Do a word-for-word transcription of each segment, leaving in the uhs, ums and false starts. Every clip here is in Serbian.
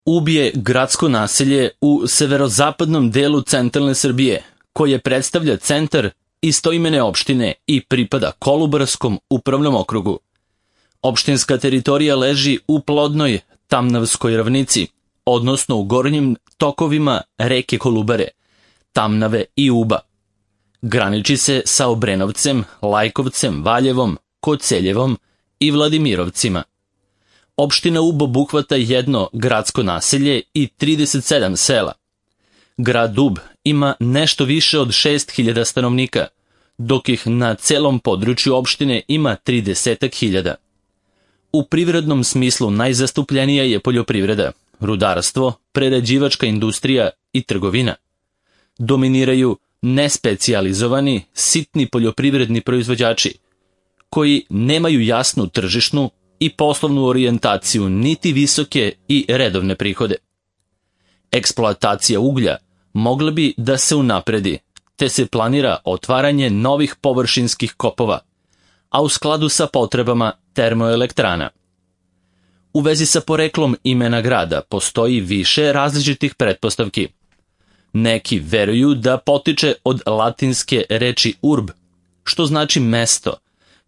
Ub je gradsko naselje u severozapadnom delu centralne Srbije, koje predstavlja centar istoimene opštine i pripada Kolubarskom upravnom okrugu. Opštinska teritorija leži u plodnoj Tamnavskoj ravnici, odnosno u gornjim tokovima reke Kolubare, Tamnave i Uba. Graniči se sa Obrenovcem, Lajkovcem, Valjevom, Koceljevom i Vladimirovcima. Opština Ub obuhvata jedno gradsko naselje i trideset sedam sela. Grad Ub ima nešto više od šest hiljada stanovnika, dok ih na celom području opštine ima trideset hiljada. U privrednom smislu najzastupljenija je poljoprivreda, rudarstvo, prerađivačka industrija i trgovina. Dominiraju nespecijalizovani, sitni poljoprivredni proizvođači, koji nemaju jasnu tržišnu i poslovnu orijentaciju niti visoke i redovne prihode. Eksploatacija uglja mogla bi da se unapredi, te se planira otvaranje novih površinskih kopova, a u skladu sa potrebama termoelektrana. U vezi sa poreklom imena grada postoji više različitih pretpostavki. Neki veruju da potiče od latinske reči urb, što znači mesto,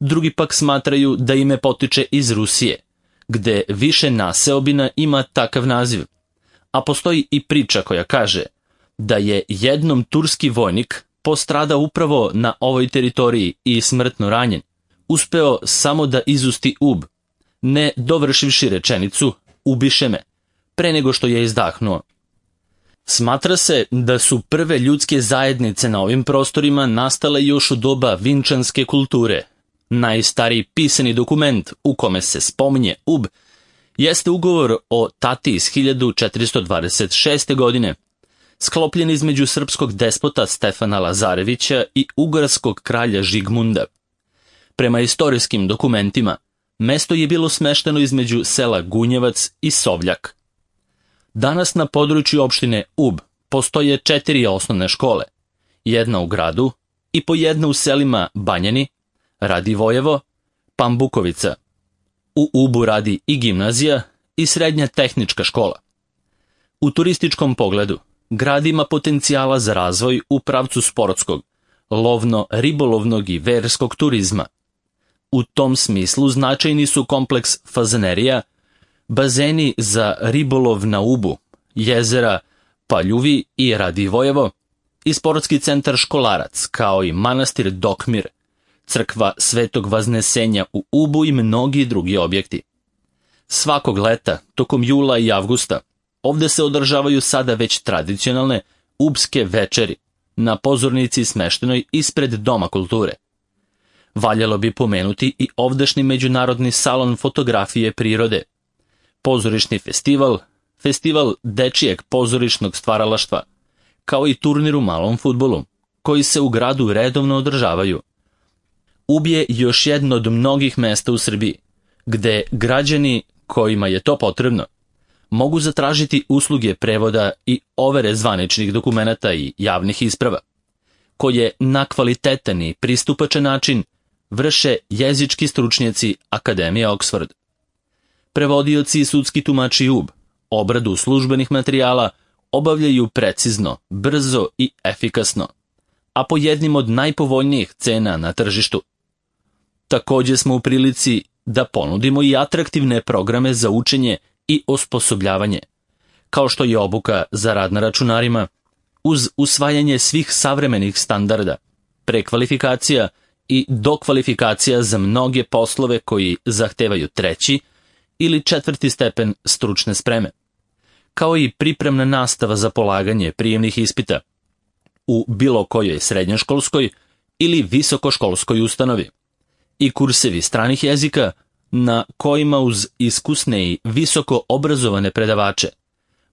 drugi pak smatraju da ime potiče iz Rusije, gde više naseobina ima takav naziv, a postoji i priča koja kaže da je jednom turski vojnik postradao upravo na ovoj teritoriji i smrtno ranjen, uspeo samo da izusti ub, ne dovršivši rečenicu ubiše me, pre nego što je izdahnuo. Smatra se da su prve ljudske zajednice na ovim prostorima nastale još u doba vinčanske kulture. Najstariji pisani dokument u kome se spominje Ub jeste ugovor o Tati iz hiljadu četiristo dvadeset šeste. godine, sklopljen između srpskog despota Stefana Lazarevića i ugarskog kralja Žigmunda. Prema istorijskim dokumentima, mesto je bilo smešteno između sela Gunjevac i Sovljak. Danas na području opštine Ub postoje četiri osnovne škole, jedna u gradu i po jedna u selima Banjani, Radivojevo, Pambukovica. U Ubu radi i gimnazija i srednja tehnička škola. U turističkom pogledu, grad ima potencijala za razvoj u pravcu sportskog, lovno-ribolovnog i verskog turizma. U tom smislu značajni su kompleks fazanerija, bazeni za ribolov na Ubu, jezera Paljuvi i Radivojevo i sportski centar Školarac, kao i manastir Dokmir, crkva Svetog Vaznesenja u Ubu i mnogi drugi objekti. Svakog leta, tokom jula i avgusta, ovde se održavaju sada već tradicionalne ubske večeri na pozornici smeštenoj ispred Doma kulture. Valjalo bi pomenuti i ovdašnji međunarodni salon fotografije prirode, pozorišni festival, festival dečijeg pozorišnog stvaralaštva, kao i turnir u malom fudbalu, koji se u gradu redovno održavaju. Ub je još jedno od mnogih mesta u Srbiji, gde građani kojima je to potrebno mogu zatražiti usluge prevoda i overe zvaničnih dokumenata i javnih isprava, koje na kvalitetan i pristupačan način vrše jezički stručnjaci Akademije Oxford. Prevodioci i sudski tumači Ub obradu službenih materijala obavljaju precizno, brzo i efikasno, a po jednim od najpovoljnijih cena na tržištu. Takođe smo u prilici da ponudimo i atraktivne programe za učenje i osposobljavanje, kao što je obuka za rad na računarima, uz usvajanje svih savremenih standarda, prekvalifikacija i dokvalifikacija za mnoge poslove koji zahtevaju treći ili četvrti stepen stručne spreme, kao i pripremna nastava za polaganje prijemnih ispita u bilo kojoj srednjoškolskoj ili visokoškolskoj ustanovi i kursevi stranih jezika na kojima uz iskusne i visoko obrazovane predavače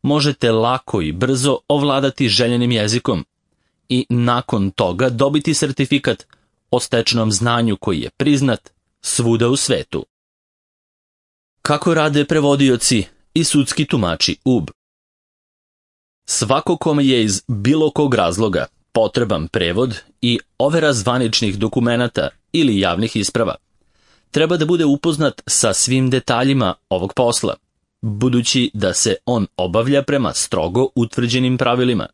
možete lako i brzo ovladati željenim jezikom i nakon toga dobiti sertifikat o stečenom znanju koji je priznat svuda u svetu. Kako rade prevodioci i sudski tumači Ub? Svako kome je iz bilo kog razloga potreban prevod i overa zvaničnih dokumenata ili javnih isprava, treba da bude upoznat sa svim detaljima ovog posla, budući da se on obavlja prema strogo utvrđenim pravilima.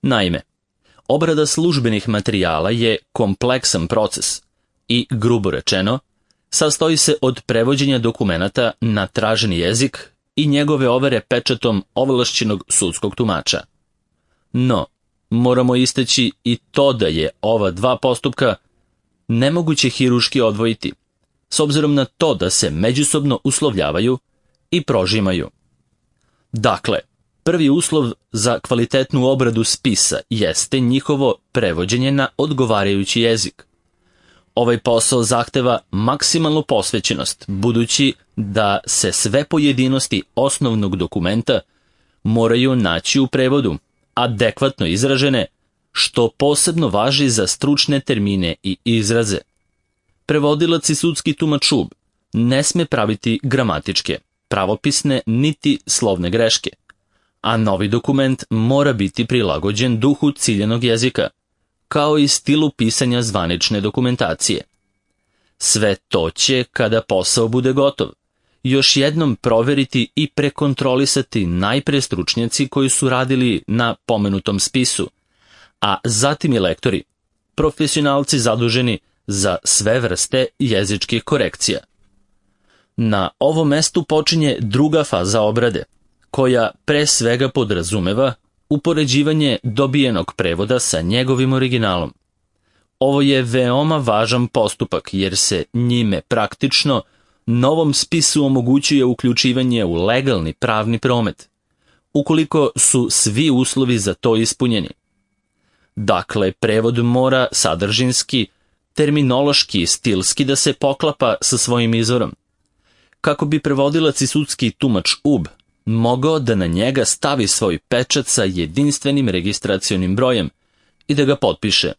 Naime, obrada službenih materijala je kompleksan proces i, grubo rečeno, sastoji se od prevođenja dokumenata na traženi jezik i njegove overe pečatom ovlašćenog sudskog tumača. No, moramo istaći i to da je ova dva postupka nemoguće hiruški odvojiti, s obzirom na to da se međusobno uslovljavaju i prožimaju. Dakle, prvi uslov za kvalitetnu obradu spisa jeste njihovo prevođenje na odgovarajući jezik. Ovaj posao zahteva maksimalnu posvećenost, budući da se sve pojedinosti osnovnog dokumenta moraju naći u prevodu, adekvatno izražene, što posebno važi za stručne termine i izraze. Prevodilac i sudski tumač U B ne sme praviti gramatičke, pravopisne niti slovne greške, a novi dokument mora biti prilagođen duhu ciljanog jezika, kao i stilu pisanja zvanične dokumentacije. Sve to će, kada posao bude gotov, još jednom proveriti i prekontrolisati najpre stručnjaci koji su radili na pomenutom spisu, a zatim i lektori, profesionalci zaduženi za sve vrste jezičkih korekcija. Na ovom mestu počinje druga faza obrade, koja pre svega podrazumeva upoređivanje dobijenog prevoda sa njegovim originalom. Ovo je veoma važan postupak jer se njime praktično novom spisu omogućuje uključivanje u legalni pravni promet, ukoliko su svi uslovi za to ispunjeni. Dakle, prevod mora sadržinski, terminološki i stilski da se poklapa sa svojim izvorom, kako bi prevodilac i sudski tumač U B mogao da na njega stavi svoj pečat sa jedinstvenim registracionim brojem i da ga potpiše.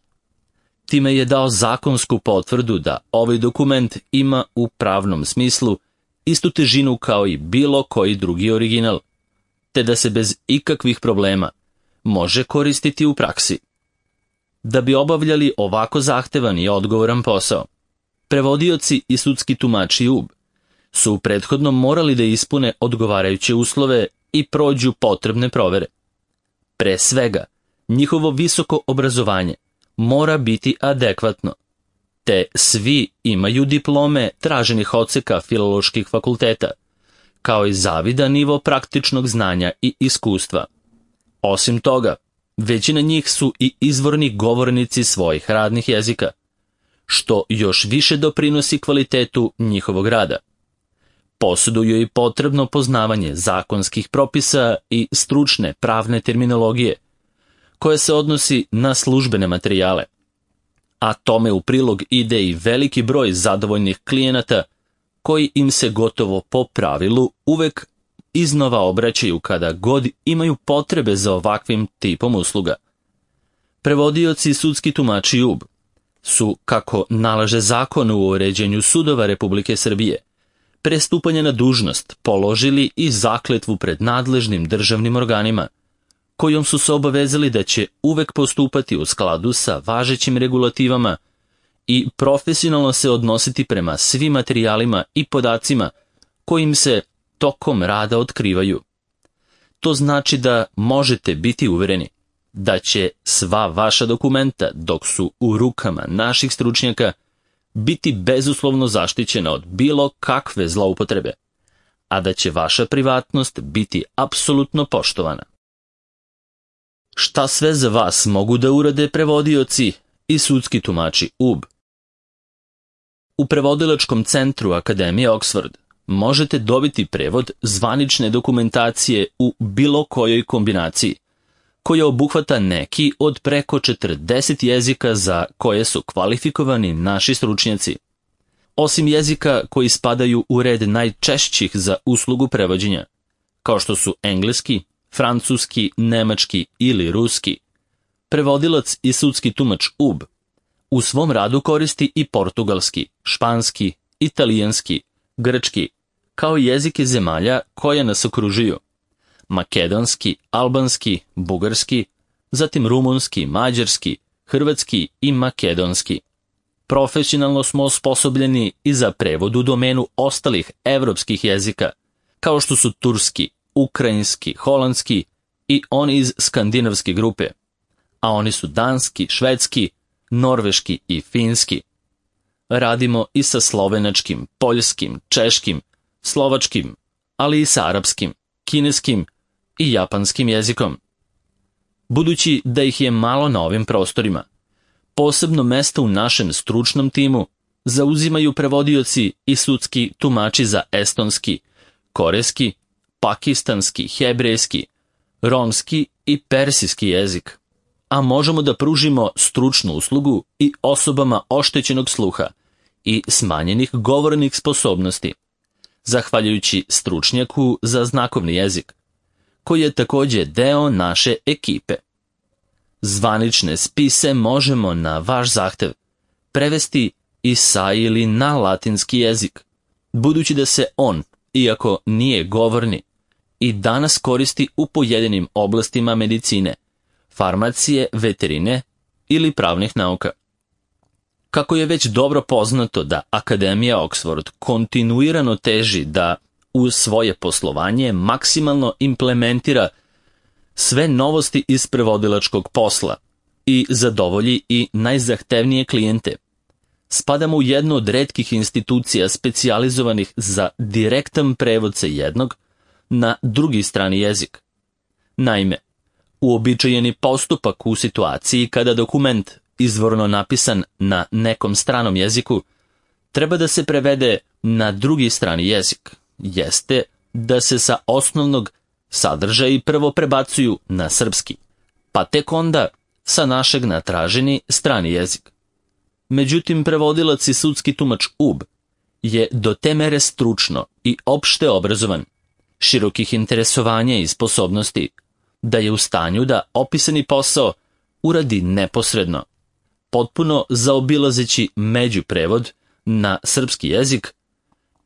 Time je dao zakonsku potvrdu da ovaj dokument ima u pravnom smislu istu težinu kao i bilo koji drugi original, te da se bez ikakvih problema može koristiti u praksi. Da bi obavljali ovako zahtevan i odgovoran posao, prevodioci i sudski tumači U B su prethodno morali da ispune odgovarajuće uslove i prođu potrebne provere. Pre svega, njihovo visoko obrazovanje mora biti adekvatno, te svi imaju diplome traženih odseka filoloških fakulteta, kao i zavidan nivo praktičnog znanja i iskustva. Osim toga, većina njih su i izvorni govornici svojih radnih jezika, što još više doprinosi kvalitetu njihovog rada. Posjeduju i potrebno poznavanje zakonskih propisa i stručne pravne terminologije, koje se odnosi na službene materijale, a tome u prilog ide i veliki broj zadovoljnih klijenata koji im se gotovo po pravilu uvek iznova obraćaju kada god imaju potrebe za ovakvim tipom usluga. Prevodioci i sudski tumači U B su, kako nalaže zakon o uređenju sudova Republike Srbije, pre stupanja na dužnost položili i zakletvu pred nadležnim državnim organima, kojom su se obavezali da će uvek postupati u skladu sa važećim regulativama i profesionalno se odnositi prema svim materijalima i podacima kojim se tokom rada otkrivaju. To znači da možete biti uvereni da će sva vaša dokumenta, dok su u rukama naših stručnjaka, biti bezuslovno zaštićena od bilo kakve zloupotrebe, a da će vaša privatnost biti apsolutno poštovana. Šta sve za vas mogu da urade prevodioci i sudski tumači U B? U prevodilačkom centru Akademije Oxford možete dobiti prevod zvanične dokumentacije u bilo kojoj kombinaciji, koja obuhvata neki od preko četrdeset jezika za koje su kvalifikovani naši stručnjaci. Osim jezika koji spadaju u red najčešćih za uslugu prevođenja, kao što su engleski, francuski, nemački ili ruski, prevodilac i sudski tumač U B u svom radu koristi i portugalski, španski, italijanski, grčki, kao i jezike zemalja koje nas okružuju: makedonski, albanski, bugarski, zatim rumunski, mađarski, hrvatski i makedonski. Profesionalno smo osposobljeni i za prevod u domenu ostalih evropskih jezika, kao što su turski, ukrajinski, holandski i oni iz skandinavske grupe, a oni su danski, švedski, norveški i finski. Radimo i sa slovenačkim, poljskim, češkim, slovačkim, ali i sa arapskim, kineskim i japanskim jezikom. Budući da ih je malo na ovim prostorima, posebno mesto u našem stručnom timu zauzimaju prevodioci i sudski tumači za estonski, korejski, pakistanski, hebrejski, romski i persijski jezik, a možemo da pružimo stručnu uslugu i osobama oštećenog sluha i smanjenih govornih sposobnosti, zahvaljujući stručnjaku za znakovni jezik, koji je također deo naše ekipe. Zvanične spise možemo na vaš zahtev prevesti i sa ili na latinski jezik, budući da se on, iako nije govorni, i danas koristi u pojedinim oblastima medicine, farmacije, veterine ili pravnih nauka. Kako je već dobro poznato da Akademija Oxford kontinuirano teži da u svoje poslovanje maksimalno implementira sve novosti iz prevodilačkog posla i zadovolji i najzahtevnije klijente, spadamo u jednu od retkih institucija specijalizovanih za direktan prevod sa jednog na drugi strani jezik. Naime, uobičajeni postupak u situaciji kada dokument, izvorno napisan na nekom stranom jeziku, treba da se prevede na drugi strani jezik, jeste da se sa osnovnog sadržaji prvo prebacuju na srpski, pa tek onda sa našeg na traženi strani jezik. Međutim, prevodilac i sudski tumač U B je do te mere stručno i opšte obrazovan, širokih interesovanja i sposobnosti, da je u stanju da opisani posao uradi neposredno, potpuno zaobilazeći međuprevod na srpski jezik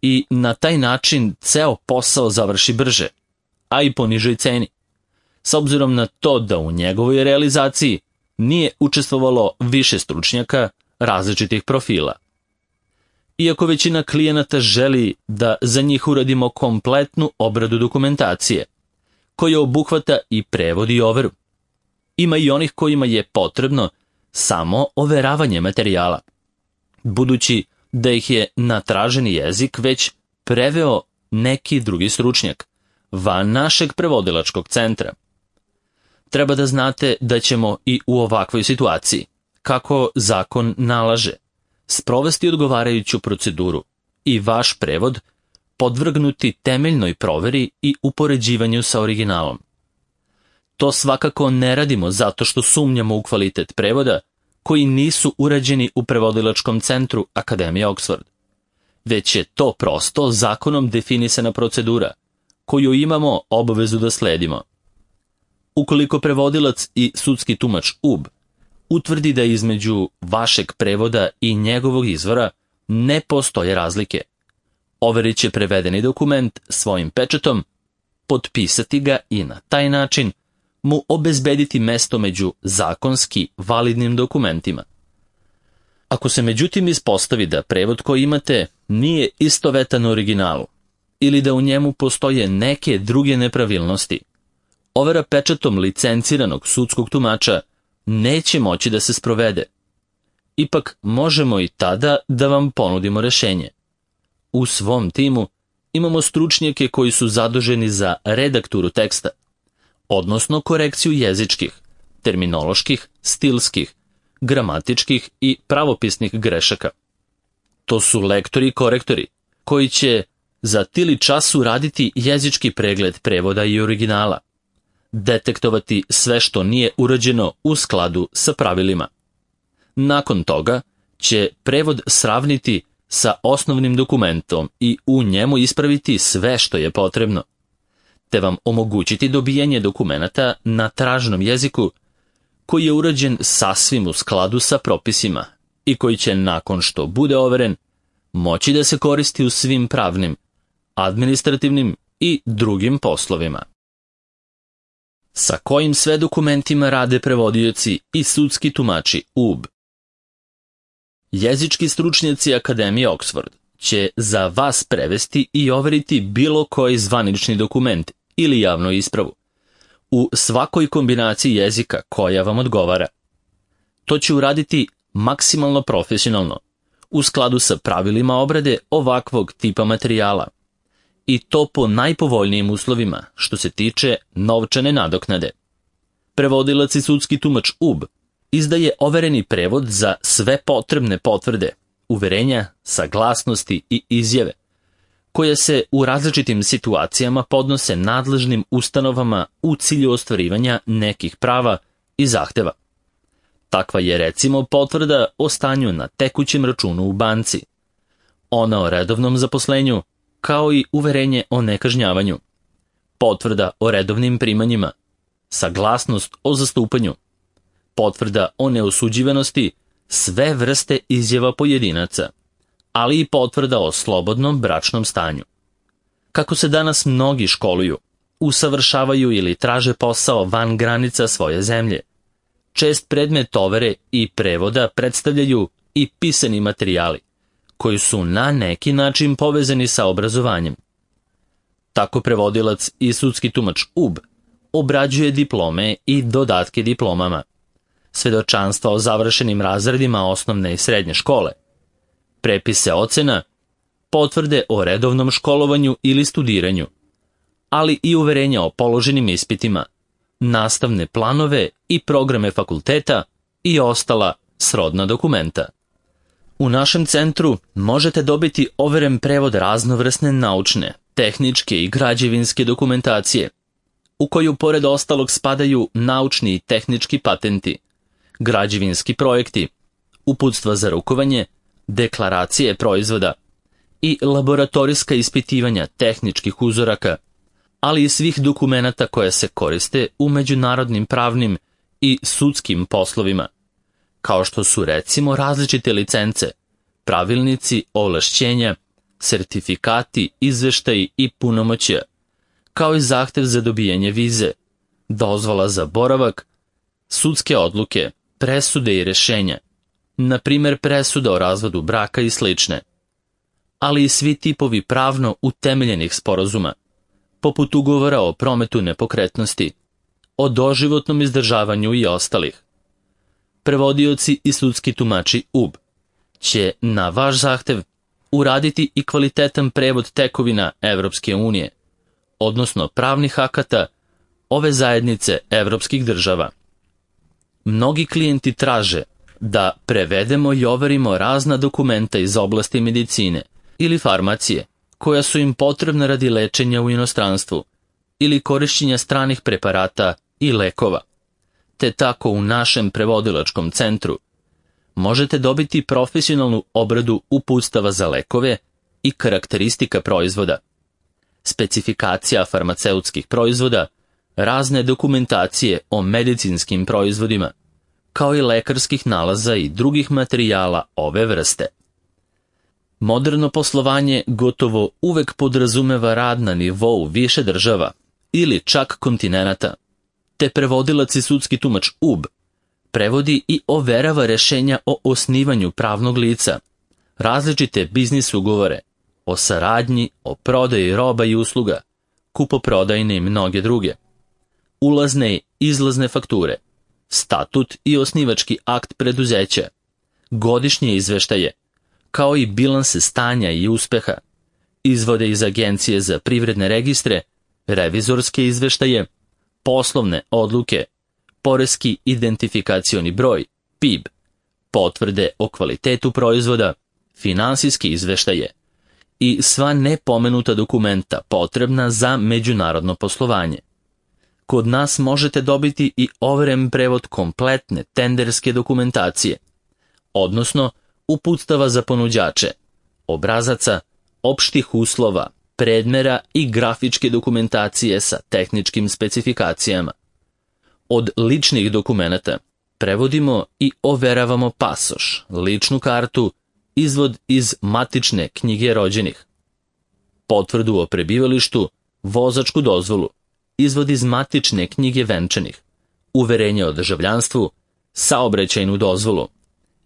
i na taj način ceo posao završi brže, a i po nižoj ceni, s obzirom na to da u njegovoj realizaciji nije učestvovalo više stručnjaka različitih profila. Iako većina klijenata želi da za njih uradimo kompletnu obradu dokumentacije, koja obuhvata i prevod i overu, ima i onih kojima je potrebno samo overavanje materijala, budući da ih je na traženi jezik već preveo neki drugi stručnjak, van našeg prevodilačkog centra. Treba da znate da ćemo i u ovakvoj situaciji, kako zakon nalaže, sprovesti odgovarajuću proceduru i vaš prevod podvrgnuti temeljnoj proveri i upoređivanju sa originalom. To svakako ne radimo zato što sumnjamo u kvalitet prevoda koji nisu urađeni u prevodilačkom centru Akademije Oxford, već je to prosto zakonom definisana procedura koju imamo obavezu da sledimo. Ukoliko prevodilac i sudski tumač U B utvrdi da između vašeg prevoda i njegovog izvora ne postoje razlike, overit će prevedeni dokument svojim pečatom, potpisati ga i na taj način mu obezbediti mesto među zakonski validnim dokumentima. Ako se međutim ispostavi da prevod koji imate nije istovetan originalu ili da u njemu postoje neke druge nepravilnosti, overa pečatom licenciranog sudskog tumača neće moći da se sprovede. Ipak možemo i tada da vam ponudimo rešenje. U svom timu imamo stručnjake koji su zaduženi za redakturu teksta, odnosno korekciju jezičkih, terminoloških, stilskih, gramatičkih i pravopisnih grešaka. To su lektori i korektori, koji će za tili času raditi jezički pregled prevoda i originala, detektovati sve što nije urađeno u skladu sa pravilima. Nakon toga će prevod sravniti sa osnovnim dokumentom i u njemu ispraviti sve što je potrebno, te vam omogućiti dobijanje dokumenata na traženom jeziku koji je urađen sasvim u skladu sa propisima i koji će, nakon što bude overen, moći da se koristi u svim pravnim, administrativnim i drugim poslovima. Sa kojim sve dokumentima rade prevodioci i sudski tumači U B? Jezički stručnjaci Akademije Oxford će za vas prevesti i overiti bilo koji zvanični dokument ili javnu ispravu, u svakoj kombinaciji jezika koja vam odgovara. To će uraditi maksimalno profesionalno, u skladu sa pravilima obrade ovakvog tipa materijala, i to po najpovoljnijim uslovima što se tiče novčane nadoknade. Prevodilac i sudski tumač U B izdaje overeni prevod za sve potrebne potvrde, uverenja, saglasnosti i izjave, koje se u različitim situacijama podnose nadležnim ustanovama u cilju ostvarivanja nekih prava i zahteva. Takva je recimo potvrda o stanju na tekućem računu u banci, ona o redovnom zaposlenju, kao i uverenje o nekažnjavanju, potvrda o redovnim primanjima, saglasnost o zastupanju, potvrda o neosuđivanosti, sve vrste izjava pojedinaca, ali i potvrda o slobodnom bračnom stanju. Kako se danas mnogi školuju, usavršavaju ili traže posao van granica svoje zemlje, čest predmet overe i prevoda predstavljaju i pisani materijali, koji su na neki način povezani sa obrazovanjem. Tako prevodilac i sudski tumač U B obrađuje diplome i dodatke diplomama, svedočanstva o završenim razredima osnovne i srednje škole, prepise ocena, potvrde o redovnom školovanju ili studiranju, ali i uverenja o položenim ispitima, nastavne planove i programe fakulteta i ostala srodna dokumenta. U našem centru možete dobiti overen prevod raznovrsne naučne, tehničke i građevinske dokumentacije, u koju pored ostalog spadaju naučni i tehnički patenti, građevinski projekti, uputstva za rukovanje, deklaracije proizvoda i laboratorijska ispitivanja tehničkih uzoraka, ali i svih dokumenata koje se koriste u međunarodnim pravnim i sudskim poslovima, kao što su recimo različite licence, pravilnici, ovlašćenja, sertifikati, izveštaji i punomoćja, kao i zahtev za dobijanje vize, dozvola za boravak, sudske odluke, presude i rešenja, na primjer presuda o razvodu braka i slične, ali i svi tipovi pravno utemeljenih sporazuma, poput ugovora o prometu nepokretnosti, o doživotnom izdržavanju i ostalih. Prevodioci i sudski tumači U B će na vaš zahtev uraditi i kvalitetan prevod tekovina Evropske unije, odnosno pravnih akata ove zajednice evropskih država. Mnogi klijenti traže da prevedemo i overimo razna dokumenta iz oblasti medicine ili farmacije, koja su im potrebna radi lečenja u inostranstvu ili korišćenja stranih preparata i lekova. Te tako u našem prevodilačkom centru možete dobiti profesionalnu obradu uputstava za lekove i karakteristika proizvoda, specifikacija farmaceutskih proizvoda, razne dokumentacije o medicinskim proizvodima, kao i lekarskih nalaza i drugih materijala ove vrste. Moderno poslovanje gotovo uvek podrazumeva rad na nivou više država ili čak kontinenata, te prevodilac i sudski tumač U B prevodi i overava rešenja o osnivanju pravnog lica, različite biznis ugovore, o saradnji, o prodaji roba i usluga, kupoprodajne i mnoge druge, ulazne i izlazne fakture, statut i osnivački akt preduzeća, godišnje izveštaje, kao i bilanse stanja i uspeha, izvode iz Agencije za privredne registre, revizorske izveštaje, poslovne odluke, poreski identifikacioni broj, P I B, potvrde o kvalitetu proizvoda, finansijski izveštaje i sva nepomenuta dokumenta potrebna za međunarodno poslovanje. Kod nas možete dobiti i overen prevod kompletne tenderske dokumentacije, odnosno uputstava za ponuđače, obrazaca, opštih uslova, predmera i grafičke dokumentacije sa tehničkim specifikacijama. Od ličnih dokumenata prevodimo i overavamo pasoš, ličnu kartu, izvod iz matične knjige rođenih, potvrdu o prebivalištu, vozačku dozvolu, izvod iz matične knjige venčanih, uverenje o državljanstvu, saobraćajnu dozvolu,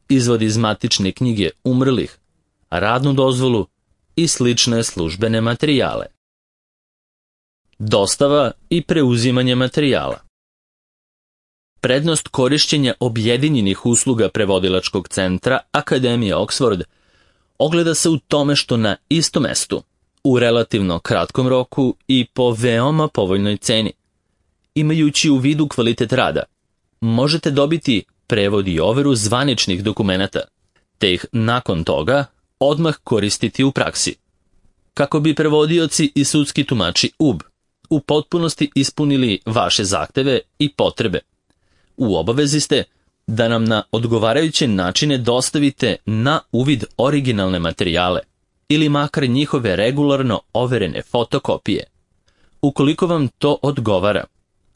izvod iz matične knjige umrlih, radnu dozvolu, i slične službene materijale. Dostava i preuzimanje materijala. Prednost korišćenja objedinjenih usluga prevodilačkog centra Akademije Oxford ogleda se u tome što na istom mestu, u relativno kratkom roku i po veoma povoljnoj ceni, imajući u vidu kvalitet rada, možete dobiti prevod i overu zvaničnih dokumenata, te ih nakon toga odmah koristiti u praksi. Kako bi prevodioci i sudski tumači U B u potpunosti ispunili vaše zahteve i potrebe, u obavezi ste da nam na odgovarajuće načine dostavite na uvid originalne materijale ili makar njihove regularno overene fotokopije. Ukoliko vam to odgovara,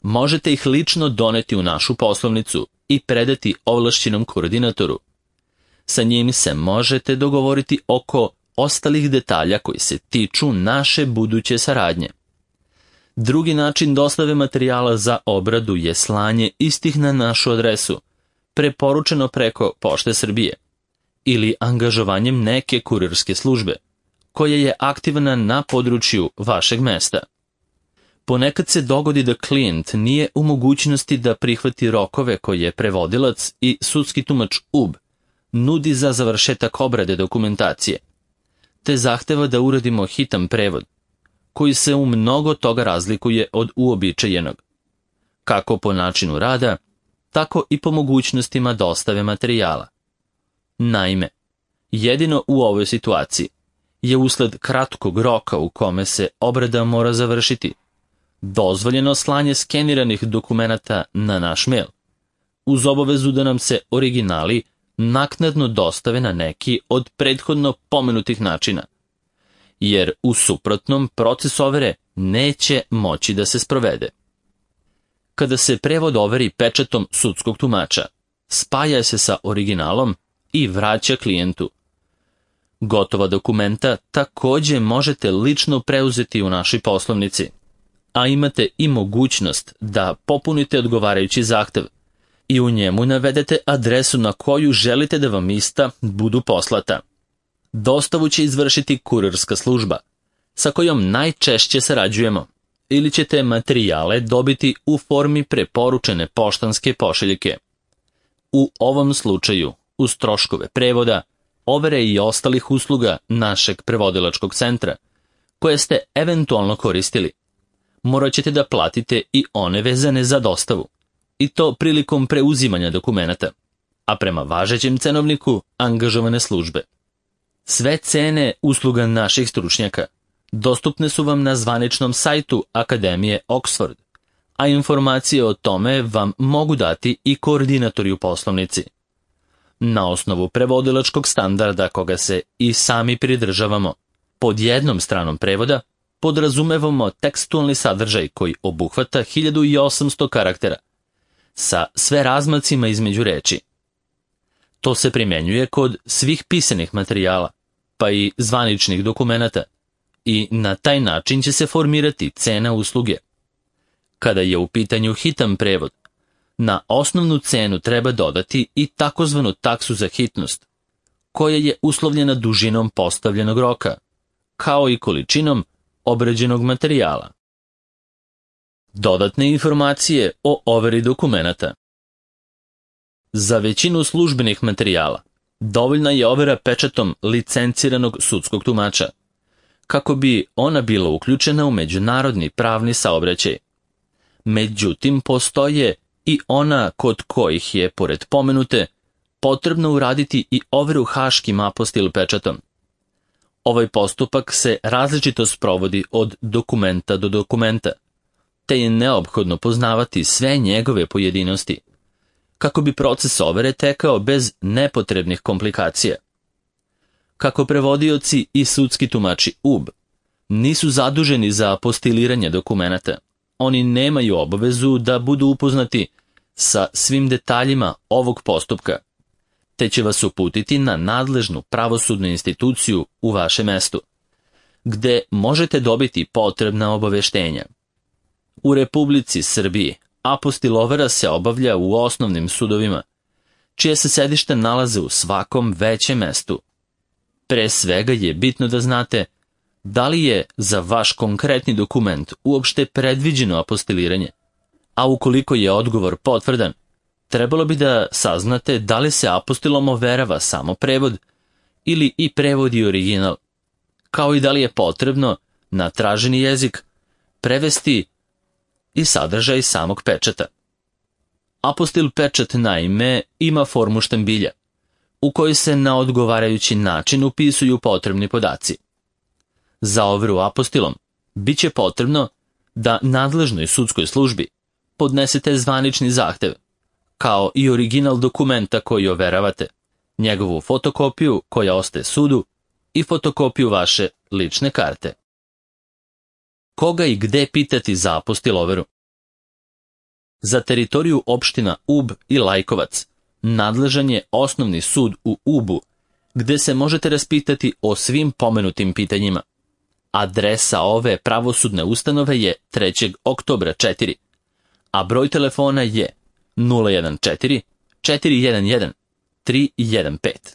možete ih lično doneti u našu poslovnicu i predati ovlašćenom koordinatoru. Sa njim se možete dogovoriti oko ostalih detalja koji se tiču naše buduće saradnje. Drugi način dostave materijala za obradu je slanje istih na našu adresu, preporučeno preko Pošte Srbije, ili angažovanjem neke kurirske službe, koja je aktivna na području vašeg mesta. Ponekad se dogodi da klijent nije u mogućnosti da prihvati rokove koje prevodilac i sudski tumač U B nudi za završetak obrade dokumentacije, te zahteva da uradimo hitan prevod, koji se u mnogo toga razlikuje od uobičajenog, kako po načinu rada, tako i po mogućnostima dostave materijala. Naime, jedino u ovoj situaciji je usled kratkog roka u kome se obrada mora završiti, dozvoljeno slanje skeniranih dokumenata na naš mail, uz obavezu da nam se originali naknadno dostave na neki od prethodno pomenutih načina, jer u suprotnom proces overe neće moći da se sprovede. Kada se prevod overi pečatom sudskog tumača, spaja se sa originalom i vraća klijentu. Gotova dokumenta takođe možete lično preuzeti u našoj poslovnici, a imate i mogućnost da popunite odgovarajući zahtev i u njemu navedete adresu na koju želite da vam ista budu poslata. Dostavu će izvršiti kurirska služba, sa kojom najčešće sarađujemo, ili ćete materijale dobiti u formi preporučene poštanske pošiljke. U ovom slučaju, uz troškove prevoda, overe i ostalih usluga našeg prevodilačkog centra, koje ste eventualno koristili, morat ćete da platite i one vezane za dostavu, i to prilikom preuzimanja dokumenata, a prema važećem cenovniku angažovane službe. Sve cene usluga naših stručnjaka dostupne su vam na zvaničnom sajtu Akademije Oxford, a informacije o tome vam mogu dati i koordinatori u poslovnici. Na osnovu prevodilačkog standarda koga se i sami pridržavamo, pod jednom stranom prevoda podrazumevamo tekstualni sadržaj koji obuhvata hiljadu osamsto karaktera, sa sve razmacima između reči. To se primjenjuje kod svih pisanih materijala, pa i zvaničnih dokumenata, i na taj način će se formirati cena usluge. Kada je u pitanju hitan prevod, na osnovnu cenu treba dodati i takozvanu taksu za hitnost, koja je uslovljena dužinom postavljenog roka, kao i količinom obrađenog materijala. Dodatne informacije o overi dokumenata. Za većinu službenih materijala dovoljna je overa pečatom licenciranog sudskog tumača, kako bi ona bila uključena u međunarodni pravni saobraćaj. Međutim, postoje i ona kod kojih je, pored pomenute, potrebno uraditi i overu haškim apostil pečatom. Ovaj postupak se različito sprovodi od dokumenta do dokumenta, te je neophodno poznavati sve njegove pojedinosti, kako bi proces overe tekao bez nepotrebnih komplikacija. Kako prevodioci i sudski tumači U B nisu zaduženi za apostiliranje dokumenata, oni nemaju obavezu da budu upoznati sa svim detaljima ovog postupka, te će vas uputiti na nadležnu pravosudnu instituciju u vašem mestu, gde možete dobiti potrebna obaveštenja. U Republici Srbiji apostilovera se obavlja u osnovnim sudovima, čije se sedište nalaze u svakom većem mestu. Pre svega je bitno da znate da li je za vaš konkretni dokument uopšte predviđeno apostiliranje, a ukoliko je odgovor potvrdan, trebalo bi da saznate da li se apostilom overava samo prevod ili i prevod i original, kao i da li je potrebno na traženi jezik prevesti i sadržaj samog pečata. Apostil pečat naime ima formu štambilja, u kojoj se na odgovarajući način upisuju potrebni podaci. Za overu apostilom bit će potrebno da nadležnoj sudskoj službi podnesete zvanični zahtev, kao i original dokumenta koji overavate, njegovu fotokopiju koja ostaje sudu i fotokopiju vaše lične karte. Koga i gde pitati za apostil overu? Za teritoriju opština Ub i Lajkovac nadležan je osnovni sud u Ubu, gde se možete raspitati o svim pomenutim pitanjima. Adresa ove pravosudne ustanove je trećeg oktobra četiri, a broj telefona je nula jedan četiri četiri jedan jedan tri jedan pet.